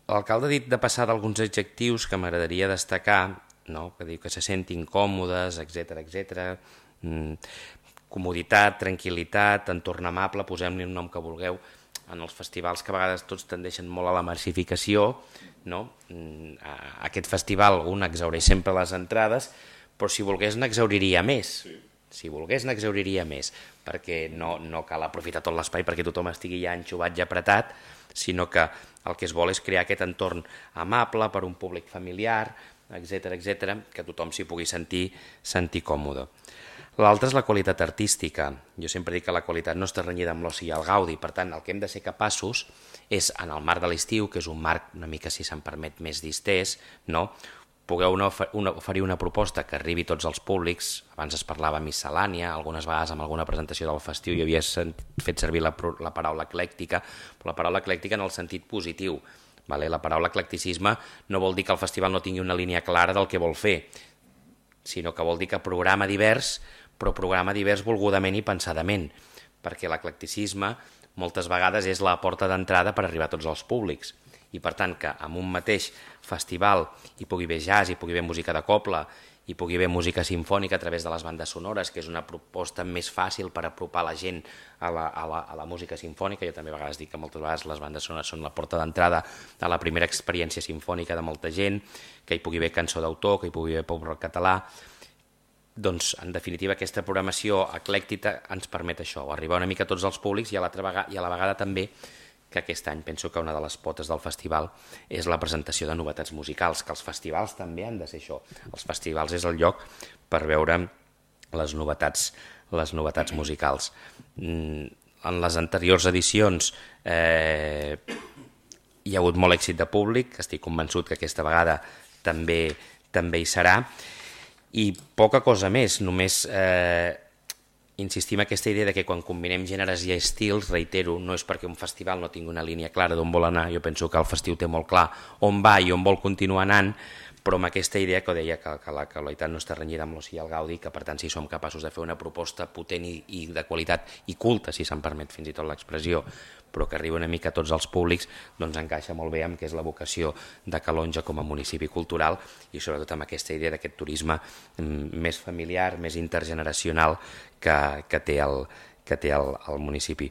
L'alcalde ha dit de passar d'alguns adjectius que m'agradaria destacar, no? Que diu que se sentin còmodes, etc. Comoditat, tranquil·litat, entorn amable, posem-li un nom que vulgueu. En els festivals que a vegades tots tendeixen molt a la massificació, no? Aquest festival un exhaureix sempre les entrades, però si volgués n'exhauriria més. Si volgués n'exhauriria més, perquè no cal aprofitar tot l'espai perquè tothom estigui ja enxuvat i apretat, sinó que el que es vol és crear aquest entorn amable per un públic familiar, etc, que tothom s'hi pugui sentir còmode. L'altre és la qualitat artística. Jo sempre dic que la qualitat no està renyida amb l'oci i el gaudi, per tant, el que hem de ser capaços és, en el marc de l'estiu, que és un marc una mica, si se'n permet, més distès, no? Pugueu oferir una proposta que arribi a tots els públics. Abans es parlava miscel·lània, algunes vegades amb alguna presentació del festiu hi havia fet servir la paraula eclèctica, però la paraula eclèctica en el sentit positiu. La paraula eclecticisme no vol dir que el festival no tingui una línia clara del que vol fer, sinó que vol dir que programa divers, però programa divers volgudament i pensadament, perquè l'eclecticisme moltes vegades és la porta d'entrada per arribar a tots els públics. I per tant que en un mateix festival hi pugui haver jazz, hi pugui haver música de cobla, hi pugui haver música simfònica a través de les bandes sonores, que és una proposta més fàcil per apropar la gent a la música simfònica. Jo també a vegades dic que moltes vegades les bandes sonores són la porta d'entrada a la primera experiència simfònica de molta gent, que hi pugui haver cançó d'autor, que hi pugui haver pop rock català. Doncs, en definitiva, aquesta programació eclèctica ens permet això, arribar una mica a tots els públics i a la vegada també que aquest any penso que una de les potes del festival és la presentació de novetats musicals, que els festivals també han de ser això. Els festivals és el lloc per veure les novetats musicals. En les anteriors edicions hi ha hagut molt èxit de públic, estic convençut que aquesta vegada també hi serà, i poca cosa més, només insistim en aquesta idea de que quan combinem gèneres i estils, reitero, no és perquè un festival no tingui una línia clara d'on vol anar, jo penso que el festiu té molt clar on va i on vol continuar anant, però amb aquesta idea que deia que la qualitat no està renyida amb l'oci i el gaudi, que per tant si som capaços de fer una proposta potent i de qualitat i culta, si se'n permet fins i tot l'expressió, però que arriba una mica a tots els públics, doncs encaixa molt bé amb què és la vocació de Calonge com a municipi cultural i sobretot amb aquesta idea d'aquest turisme més familiar, més intergeneracional que té el municipi.